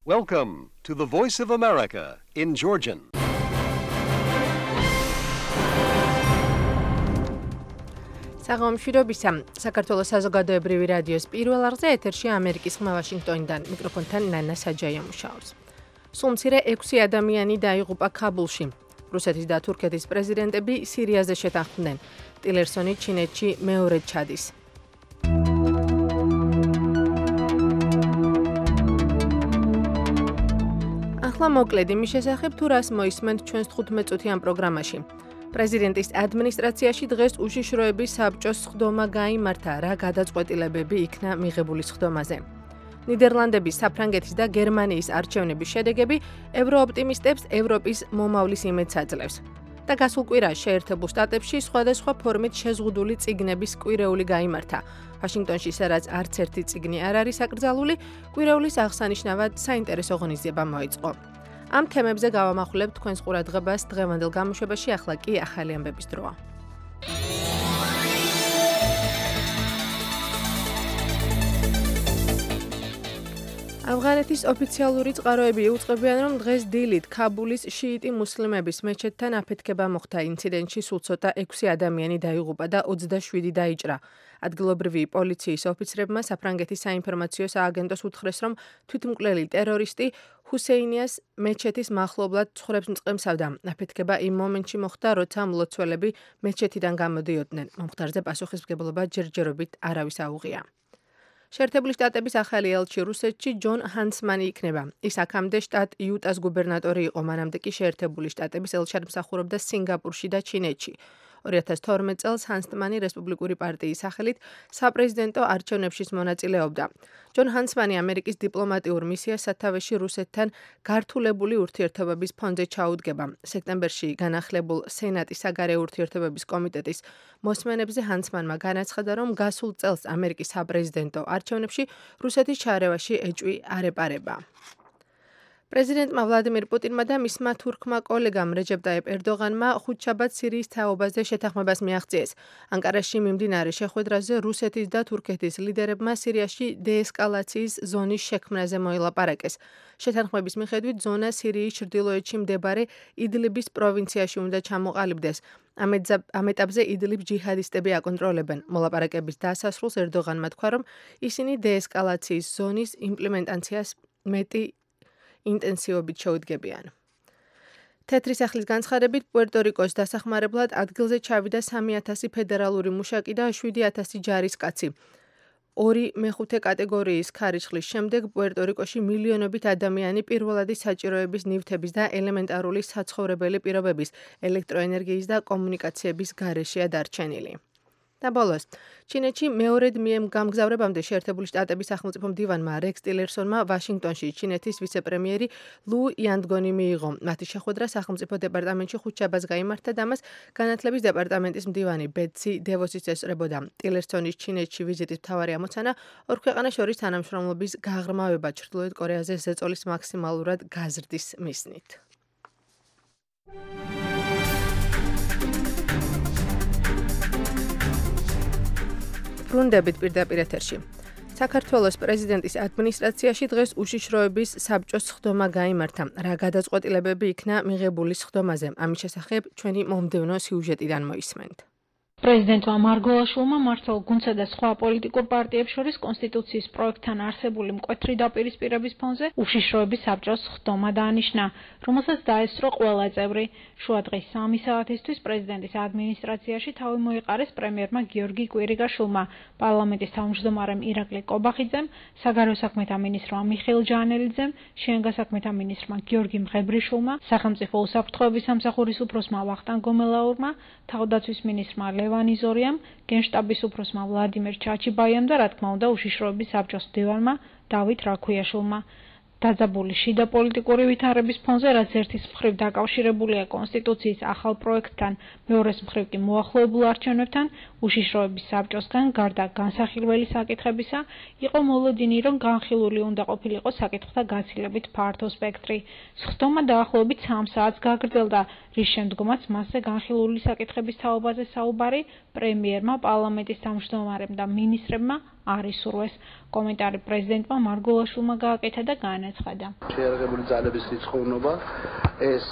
Welcome to the Voice of America in Georgian. საღამოშვიდობისა საქართველოს საზოგადოებრივი რადიოს პირველ არხზე ეთერში ამერიკის ხმა ვაშინგტონიდან მიკროფონთან ნანა საჯაია მუშაობს. სულ მცირე 6 ადამიანი დაიღუპა ქაბულში. რუსეთის და თურქეთის პრეზიდენტები სირიაზე შეთანხმდნენ. ტილერსონი ჩინეთში მეორედ ჩადის. ახლა მოკლედ იმის შესახებ თუ რას მოისმენთ ჩვენს 15 წუთიან პროგრამაში. პრეზიდენტის ადმინისტრაციაში დღეს უშიშროების საბჭოს სხდომა გაიმართა, რა გადაწყვეტილებები იქნა მიღებული სხდომაზე. ნიდერლანდების, საფრანგეთის და გერმანიის არჩევნების შედეგები ევროოპტიმისტებს ევროპის მომავლის იმედს აძლევს. და გასულ კვირას შეერთებულ შტატებში სხვადასხვა ფორმით შეზღუდული წიგნების კვირეული გაიმართა. ვაშინგტონში სადაც არც ერთი წიგნი არ არის აკრძალული, კვირეულის აღსანიშნავად საინტერესო ღონისძიება მოიწყო. ამ თემებზე გავამახვილებთ თქვენს ყურადღებას დღევანდელ გამოშვებაში, ახლა კი ახალი ამბების დროა. ავღანეთის ოფიციალური წყაროები იუწყებიან, რომ დღეს დილით ქაბულის შიიტი მუსლიმების მეჩეთთან აფეთქება მოხდა. ინციდენტში სულ ცოტა 6 ადამიანი დაიღუპა და 27 დაიჭრა. ადგილობრივი პოლიციის ოფიცრებმა საფრანგეთის საინფორმაციო სააგენტოს უთხრეს, რომ თვითმკვლელი ტერორისტი ჰუსეინიას მეჩეთის მახლობლად ცხვრებს მწყემსავდა. აფეთქება იმ მომენტში მოხდა, როცა მლოცველები მეჩეთიდან გამოდიოდნენ. მომხდარზე პასუხისმგებლობა ჯერჯერობით არავის აუღია. შეერთებული შტატების ახალი ელჩი რუსეთში ჯონ ჰანსმანი იქნება. ის აქამდე შტატ იუტას გუბერნატორი იყო, მანამდე კი შეერთებული შტატების ელჩად მსახურობდა სინგაპურში და ჩინეთში. 2012 წელს ჰანსმანი რესპუბლიკური პარტიის სახელით საპრეზიდენტო არჩევნებში მონაწილეობდა. ჯონ ჰანსმანი ამერიკის დიპლომატიურ მისიას სათავეში რუსეთთან გართულებული ურთიერთობების ფონზე ჩაუდგება. სექტემბერში განახლებულ სენატის საგარეო ურთიერთობების კომიტეტის მოსმენებზე ჰანსმანმა განაცხადა, რომ გასულ წელს ამერიკის საპრეზიდენტო არჩევნებში რუსეთის ჩარევაში ეჭვი არ ეპარება. პრეზიდენტმა ვლადიმირ პუტინმა და მისმა თურქმა კოლეგამ რეჯეპ ტაიპ ერდოღანმა ხუთშაბათს სირიის თაობაზე შეთანხმებას მიაღწიეს. ანკარაში მიმდინარე შეხვედრაზე რუსეთის და თურქეთის ლიდერებმა სირიაში დეესკალაციის ზონის შექმნაზე მოილაპარაკეს. შეთანხმების მიხედვით ზონა სირიის ჩრდილოეთში მდებარე იდლიბის პროვინციაში უნდა ჩამოყალიბდეს. ამ ეტაპზე იდლიბს ჯიჰადისტები აკონტროლებენ. მოლაპარაკების დასასრულს ერდოღანმა თქვა, რომ ისინი დეესკალაციის ზონის იმპლემენტაციას მეტი ინტენსივობით შეუდგებიან. თეთრი სახლის განცხადებით პუერტო-რიკოს დასახმარებლად ადგილზე ჩავიდა 3000 ფედერალური მუშაკი და 7000 ჯარისკაცი. 2/5 კატეგორიის ქარიშხლის შემდეგ პუერტო-რიკოში მილიონობით ადამიანი პირველადი საჭიროების ნივთების და ელემენტარული საცხოვრებელი პირობების, ელექტროენერგიის და კომუნიკაციების გარეშეა დარჩენილი. და ბოლოს, ჩინეთში მეორედ გამგზავრებამდე შეერთებული შტატების სახელმწიფო მდივანმა რექს ტილერსონმა ვაშინგტონში ჩინეთის ვიცე-პრემიერი ლუ იანდგონი მიიღო. მათი შეხვედრა სახელმწიფო დეპარტამენტში ხუთშაბათს გაიმართა და მას განათლების დეპარტამენტის მდივანი ბეტსი დევოსიც ესწრებოდა. ტილერსონის ჩინეთში ვიზიტის მთავარი ამოცანა ორ ქვეყანას შორის თანამშრომლობის გაღრმავება ჩრდილოეთ კორეაზე ზეწოლის მაქსიმალურად გაზრდის მიზნით. ბრუნდებით პირდაპირ ეთერში. საქართველოს პრეზიდენტის ადმინისტრაციაში დღეს უშიშროების საბჭოს სხდომა გაიმართა. რა გადაწყვეტილებები იქნა მიღებული სხდომაზე? ამის შესახებ ჩვენი მომდევნო სიუჟეტიდან მოისმენთ. პრეზიდენტმა მარგველაშვილმა მართლ გუნდსა და სხვა პოლიტიკურ პარტიებს შორის კონსტიტუციის პროექტთან არსებული მკვეთრი დაპირისპირების ფონზე უშიშროების საბჭოს სხდომა დაანიშნა, რომელსაც დაესწრო ყველა წევრი. შუა დღის 3 საათისთვის პრეზიდენტის ადმინისტრაციაში თავი მოიყარეს პრემიერმა გიორგი კვირიგაშვილმა, პარლამენტის თავმჯდომარემ ირაკლი კობახიძემ, საგარეო საქმეთა მინისტრმა მიხეილ ჯანელიძემ, შინაგან საქმეთა მინისტრმა გიორგი მღებრიშვილმა, სახელმწიფო უსაფრთხოების სამსახურის უფროსმა ვახტანგ გომელაურმა, თავდაცვის მინისტრმა ლევან იზორიამ, გენშტაბის უფროსმა ვლადიმერ ჩაჩიბაიამ და რა თქმა უნდა უშიშროების საბჭოს მდივანმა დავით რაქუიაშვილმა. დაძაბული შიდა პოლიტიკური ვითარების ფონზე, რაც ერთის მხრივ დაკავშირებულია კონსტიტუციის ახალ პროექტთან, მეორეს მხრივ კი მოახლოებულ არჩევნებთან, უშიშროების საბჭოსგან გარდა განსახილველი საკითხებისა, იყო მოლოდინი, რომ განხილული უნდა ყოფილიყო საკითხთა გაცილებით ფართო სპექტრი. სხდომა დაახლოებით 3 საათს გაგრძელდა, რის შემდგომაც მასზე განხილული საკითხების თაობაზე საუბარი პრემიერმა, პარლამენტის თავმჯდომარემ და მინისტრებმა არ ისურვეს. კომენტარი პრეზიდენტმა მარგულაშვილმა გააკეთა და განაცხადა. შეიარაღებული ძალების რიცხოვნობა ეს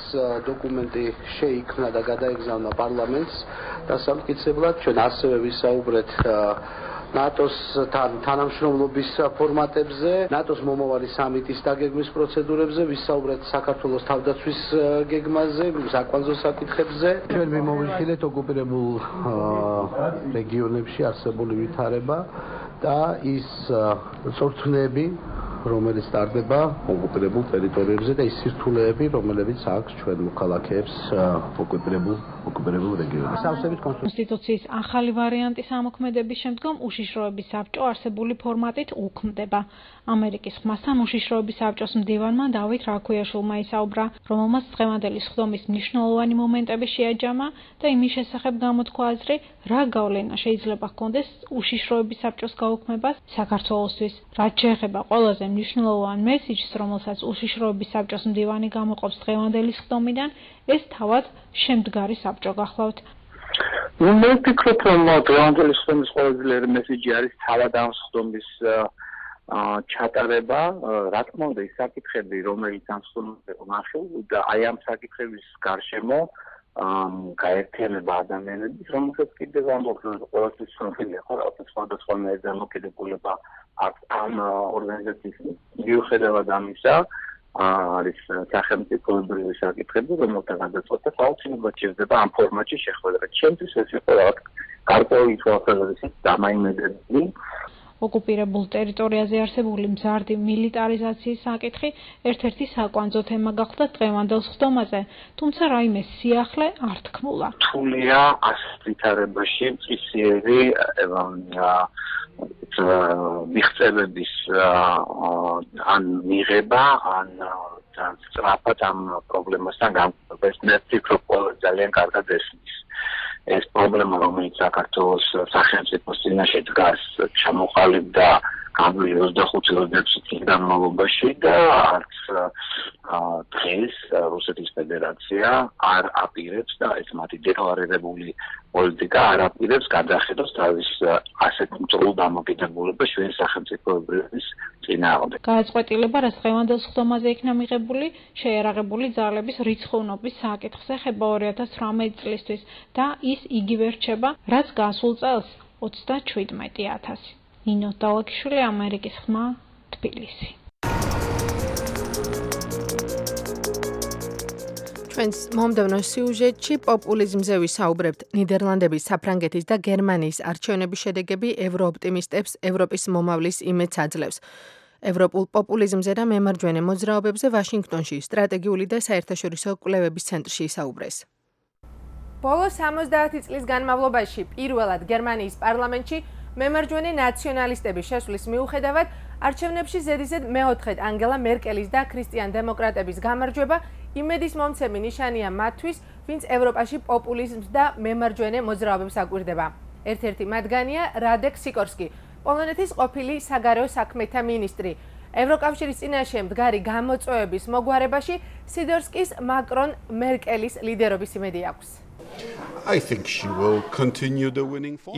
დოკუმენტი შეიქმნა და გადაეგზავნა პარლამენტს და სამტკიცებლად ჩვენ ასევე ვისაუბრეთ ნატოს თანამშრომლობის ფორმატებზე, ნატოს მომავალი სამიტის დაგეგმვის პროცედურებზე, ვისაუბრეთ საქართველოს თავდაცვის გეგმაზე, საკვანძო საკითხებზე. ჩვენ მიმოვიხილეთ ოკუპირებულ რეგიონებში არსებული ვითარება და ის წორთვნები, რომელიც ტარდება ოკუპირებულ ტერიტორიებზე და ის სირთულეები, რომლებიც აქვს ჩვენ მოქალაქეებს ოკუპირებულ რეგიონებში. კონსტიტუციის ახალი ვარიანტის ამოქმედების შემდგომ უშიშროების საბჭო არსებული ფორმატით უქმდება. ამერიკის ხმასთან უშიშროების საბჭოს მდივანმა დავით რაქვიაშვილმა ისაუბრა, რომელმაც დღევანდელი სხდომის მნიშვნელოვანი მომენტები შეაჯამა და იმის შესახებ გამოთქვა აზრი, რა გავლენა შეიძლება ჰქონდეს უშიშროების საბჭოს გაუქმებას საქართველოსთვის. რაც შეეხება ყველაზე მნიშვნელოვან მესიჯს, რომელსაც უშიშროების საბჭოს მდივანი გამოყოფს დღევანდელი სხდომიდან, ეს თავად შემდგარი საბჭო გახლავთ. მე ვფიქრობ, რომ დღევანდელი სხდომის ყველაზე ძლიერი მესიჯი არის თავად ამ სხდომის ჩატარება, რა თქმა უნდა, ის საკითხები, რომელიც ამ სხდომაზე ვნახევ და აი ამ საკითხების გარშემო გაერთიანება ადამიანების, რომელსაც კიდევ ამბობთ, რომ ყველასთვის ცნობილია, ხო, რაღაც სხვადასხვანაირ დამოკიდებულება აქვს ამ ორგანიზაციის მიუხედავად ამისა, არის სახელმწიფოებრივი საკითხები, რომელთა გადაწყვეტა აუცილებლად შეძება ამ ფორმატში შეხვედრა. ჩემთვის ეს იყო რაღაც გარკვეული თვალსაზრისით დამაიმედებელი. ოკუპირებულ ტერიტორიაზე არსებული მზარდი მილიტარიზაციის საკითხი ერთ-ერთი საკვანძო თემა გახდა დღევანდელ სხდომაზე, თუმცა რაიმე სიახლე არ თქმულა. რთულია ასეთ ვითარებაში მწისიერი მიღწევების ან მიღება, ან სწრაფად ამ პრობლემასთან გამყოფა. მე ვფიქრობ, ძალიან კარგად ესმის. ეს პრობლემა, რომელიც საქართველოს სახელმწიფოს წინაშე დგას, ჩამოყალიბდა გამოვიდა 25-26 წლის განმავლობაში და არც დღეს რუსეთის ფედერაცია არ აპირებს და ეს მათი დეკლარირებული პოლიტიკა არ აპირებს გადახედოს თავის ასეთ მწვრთნელ დამოკიდებულებას ჩვენ სახელმწიფოების წინააღმდეგ. გააწყვეტილება, რაც დღევანდელ სხდომაზე იქნა მიღებული, შეიარაღებული ძალების რიცხოვნობის საკითხზე ხება 2018 წლისთვის და ის იგივე რჩება, რაც გასულ წელს 37,000. ნინო დალაკიშვილი, ამერიკის ხმა, თბილისი. ჩვენს მომდევნო სიუჟეტში პოპულიზმზე ვისაუბრებთ. ნიდერლანდების, საფრანგეთის და გერმანიის არჩევნების შედეგები ევროოპტიმისტებს ევროპის მომავლის იმედს აძლევს. ევროპულ პოპულიზმზე და მემარჯვენე მოძრაობებზე ვაშინგტონში სტრატეგიული და საერთაშორისო კვლევების ცენტრში ისაუბრეს. ბოლო 70 წლის განმავლობაში პირველად გერმანიის პარლამენტში მემარჯვენე ნაციონალისტების შესვლის მიუხედავად არჩევნებში ზედიზედ მეოთხედ ანგელა მერკელის და ქრისტიან დემოკრატების გამარჯვება იმედის მომცემი ნიშანია მათთვის, ვინც ევროპაში პოპულიზმს და მემარჯვენე მოძრაობებს აკვირდება. ერთ-ერთი მათგანია რადეკ სიკორსკი, პოლონეთის ყოფილი საგარეო საქმეთა მინისტრი. ევროკავშირის წინაშე მდგარი გამოწვევების მოგვარებაში სიდორსკის მაკრონ მერკელის ლიდერობის იმედი აქვს.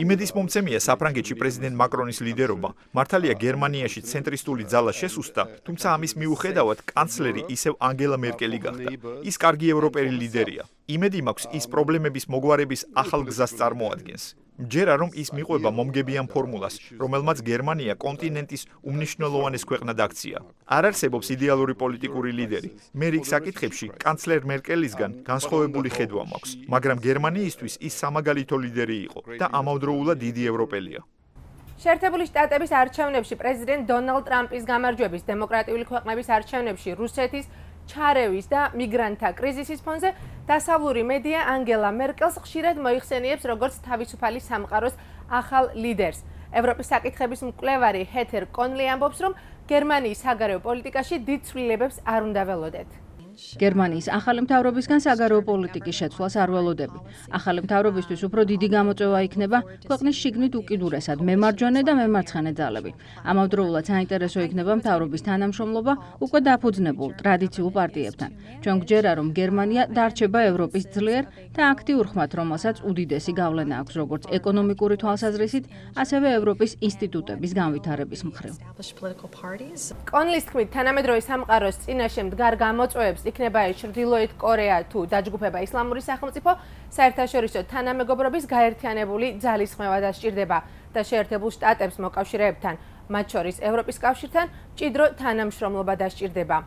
იმედის მომცემია საფრანგეთში პრეზიდენტ მაკრონის ლიდერობა. მართალია გერმანიაში ცენტრისტული ძალა შესუსტა, თუმცა ამის მიუხედავად კანცლერი ისევ ანგელა მერკელი გახდა. ის კარგი ევროპელი ლიდერია. იმედი მაქვს, ის პრობლემების მოგვარების ახალ გზას წარმოადგენს. მჯერა რომ ის მიყვება მომგებიან ფორმულას, რომელმაც გერმანია კონტინენტის უმნიშვნელოვანეს ქვეყნად აქცია. არ არსებობს იდეალური პოლიტიკური ლიდერი. მე რიგ საკითხებში კანცლერ მერკელისგან განსხვავებული ხედვა მაქვს, მაგრამ გერმანიისთვის ის სამაგალითო ლიდერი იყო და ამავდროულად დიდი ევროპელია. შეერთებული შტატების არჩევნებში პრეზიდენტ დონალდ ტრამპის გამარჯვების, დემოკრატიული ქვეყნების არჩევნებში რუსეთის ჩარევის და მიგრანტთა კრიზისის ფონზე დასავლური მედია ანგელა მერკელს ხშირად მოიხსენიებს როგორც თავისუფალი სამყაროს ახალ ლიდერს. ევროპის საკითხების მკვლევარი ჰეთერ კონლი ამბობს, რომ გერმანიის საგარეო პოლიტიკაში დიდ ცვლილებებს არ უნდა ველოდეთ. გერმანიის ახალი მთავრობისგან საგარეო პოლიტიკის შეცვლას არ ველოდები. ახალი მთავრობისთვის უფრო დიდი გამოწვევა იქნება ქვეყნის შიგნით უკიდურესად მემარჯვენე და მემარცხენე ძალები. ამავდროულად საინტერესო იქნება მთავრობის თანამშრომლობა უკვე დაფუძნებულ ტრადიციულ პარტიებთან. ჩვენ გვჯერა, რომ გერმანია დარჩება ევროპის ძლიერ და აქტიურ ხმად, რომელსაც უდიდესი გავლენა აქვს როგორც ეკონომიკური თვალსაზრისით, ასევე ევროპის ინსტიტუტების განვითარების მხრივ. კონლის თქმით, თანამედროვე სამყაროს წინაშე მდგარ გამოწვევებს იქნება ეს ჩრდილოეთ კორეა თუ დაჯგუფება ისლამური სახელმწიფო, საერთაშორისო თანამეგობრობის გაერთიანებული ძალისხმევა დასჭირდება და შეერთებულ შტატებს მოკავშირეებთან, მათ შორის ევროპის კავშირთან, მჭიდრო თანამშრომლობა დასჭირდება.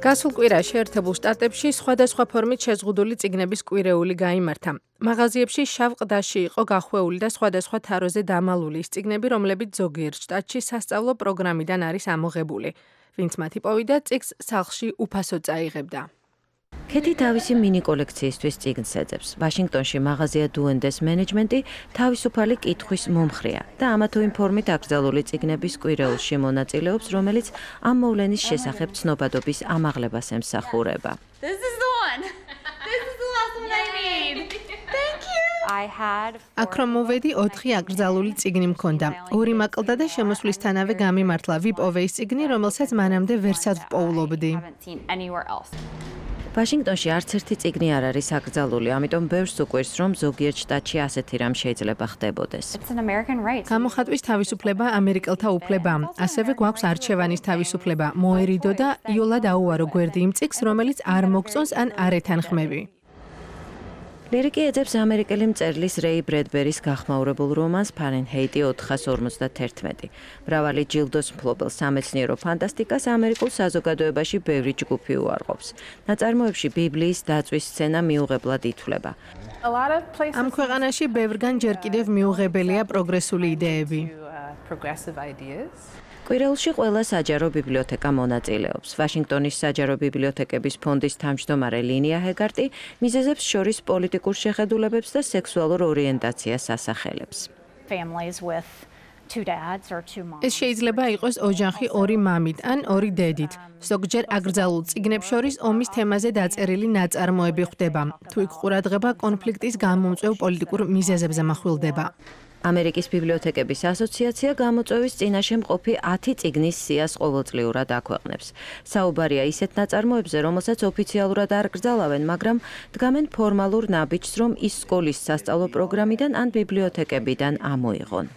გასულ კვირაში შეერთებულ შტატებში სხვადასხვა ფორმით შეზღუდული წიგნების კვირეული გაიმართა. მაღაზიებში შავ ყდაში იყო გახვეული და სხვადასხვა თაროზე დამალული ის წიგნები, რომლებიც ზოგიერთ შტატში სასწავლო პროგრამიდან არის ამოღებული. ვინც მათ იპოვიდა, წიგნს სახლში უფასოდ წაიღებდა. ქეთი თავისი მინი კოლექციისთვის წიგნს ეძებს. ვაშინგტონში მაღაზია დუენდეს მენეჯმენტი თავისუფალი კითხვის მომხრეა და ამა თუ იმ ფორმით აკრძალული წიგნების კვირეულში მონაწილეობს, რომელიც ამ მოვლენის შესახებ ცნობადობის ამაღლებას ემსახურება. აქ რომ მოვედი 4 აკრძალული წიგნი მქონდა. 2 მაკლდა და შემოსვლისთანავე გამიმართლა ვიპოვე ის წიგნი, რომელსაც მანამდე ვერსად ვპოულობდი. ვაშინგტონში არც ერთი წიგნი არ არის აკრძალული, ამიტომ ბევრს უყვირს, რომ ზოგიერთ შტატში ასეთი რამ შეიძლება ხდებოდეს. გამოხატვის თავისუფლება ამერიკელთა უფლებაა. ასევე გვაქვს არჩევანის თავისუფლება. მოერიდო და იოლად აუარო გვერდი იმ წიგნს, რომელიც არ მოგწონს ან არ ეთანხმები. ლირიკი ეძებს ამერიკელი მწერლის რეი ბრედბერის გახმაურებულ რომანს ფარენჰეიტი 451. მრავალი ჯილდოს მფლობელ სამეცნიერო ფანტასტიკას ამერიკულ საზოგადოებაში ბევრი ჯგუფი უარყოფს. ნაწარმოებში ბიბლიის დაწვის სცენა მიუღებლად ითვლება. ამ ქვეყანაში ბევრგან ჯერ კიდევ მიუღებელია პროგრესული იდეები. კვირეულში ყველა საჯარო ბიბლიოთეკა მონაწილეობს. ვაშინგტონის საჯარო ბიბლიოთეკების ფონდის თავმჯდომარე ლინია ჰეგარტი მიზეზებს შორის პოლიტიკურ შეხედულებებს და სექსუალურ ორიენტაციას ასახელებს. ეს შეიძლება იყოს ოჯახი 2 მამით ან 2 დედით. ზოგჯერ აკრძალულ წიგნებს შორის ომის თემაზე დაწერილი ნაწარმოები ხვდება. თუ იქ ყურადღება კონფლიქტის გამომწვევ პოლიტიკურ მიზეზებზე מחვილდება. ამერიკის ბიბლიოთეკების ასოციაცია გამოწვევის წინაშე მყოფი 10 წიგნის სიას ყოველწლიურად აქვეყნებს. საუბარია ისეთ ნაწარმოებზე, რომელსაც ოფიციალურად არ კრძალავენ, მაგრამ დგამენ ფორმალურ ნაბიჯს, რომ ის სკოლის სასწავლო პროგრამიდან ან ბიბლიოთეკებიდან ამოიღონ.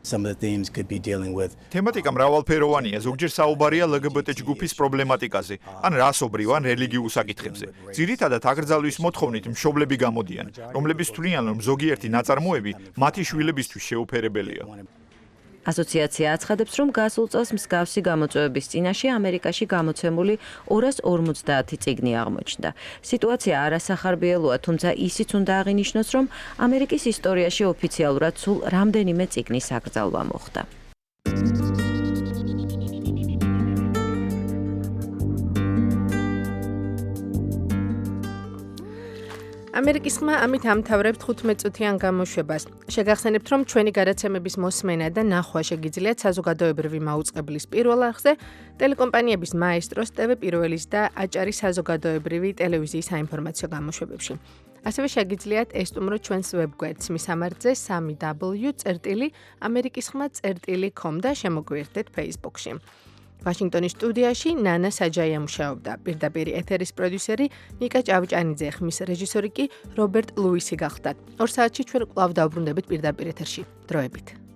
თემატიკა მრავალფეროვანია, ზოგჯერ საუბარია LGBT ჯგუფის პრობლემატიკაზე, ან რასობრივ ან რელიგიურ საკითხებზე. ძირითადად აკრძალვის მოთხოვნით მშობლები გამოდიან, რომლებიც თვლიან, რომ ზოგიერთი ნაწარმოები მათი შვილებისთვის შეუფერებელია. ასოციაცია აცხადებს, რომ გასულ წელს მსგავსი გამოწვევების წინაშე ამერიკაში გამოცემული 250 წიგნი აღმოჩნდა. სიტუაცია არასახარბიელოა, თუმცა ისიც უნდა აღინიშნოს, რომ ამერიკის ისტორიაში ოფიციალურად სულ რამდენიმე წიგნის აკრძალვა მოხდა. ამერიკის ხმა ამით ამთავრებთ 15 წუთიან გამოშვებას. შეგახსენებთ, რომ ჩვენი გადაცემების მოსმენა და ნახვა შეგიძლიათ საზოგადოებრივი მაუწყებლის პირველ არხზე, ტელეკომპანიების მაესტროს, TV პირველის და აჭარის საზოგადოებრივი ტელევიზიის საინფორმაციო გამოშვებებში. ასევე შეგიძლიათ ესტუმროთ ჩვენს ვებგვერდს მისამართზე www.amerikiskhma.com და შემოგვიერთდეთ Facebook-ში. ვაშინგტონის სტუდიაში ნანა საჯაია მუშაობდა. პირდაპირ ეთერის პროდიუსერი ნიკა ჭავჭანიძე, ხმის რეჟისორი კი რობერტ ლუისი გახლდათ. 2 საათში ჩვენ კვლავ დავბრუნდებით პირდაპირ ეთერში. დროებით.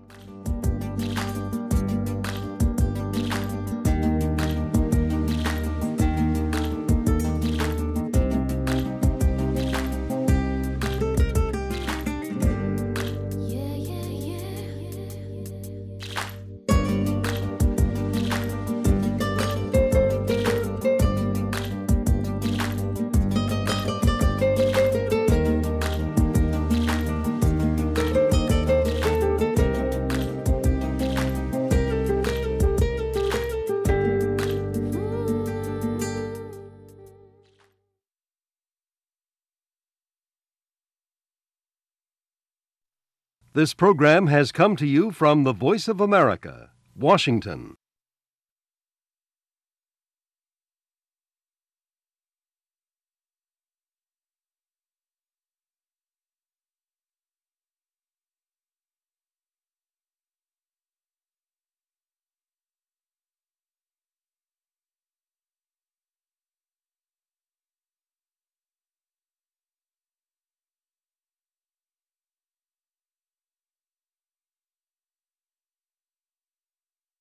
This program has come to you from the Voice of America, Washington.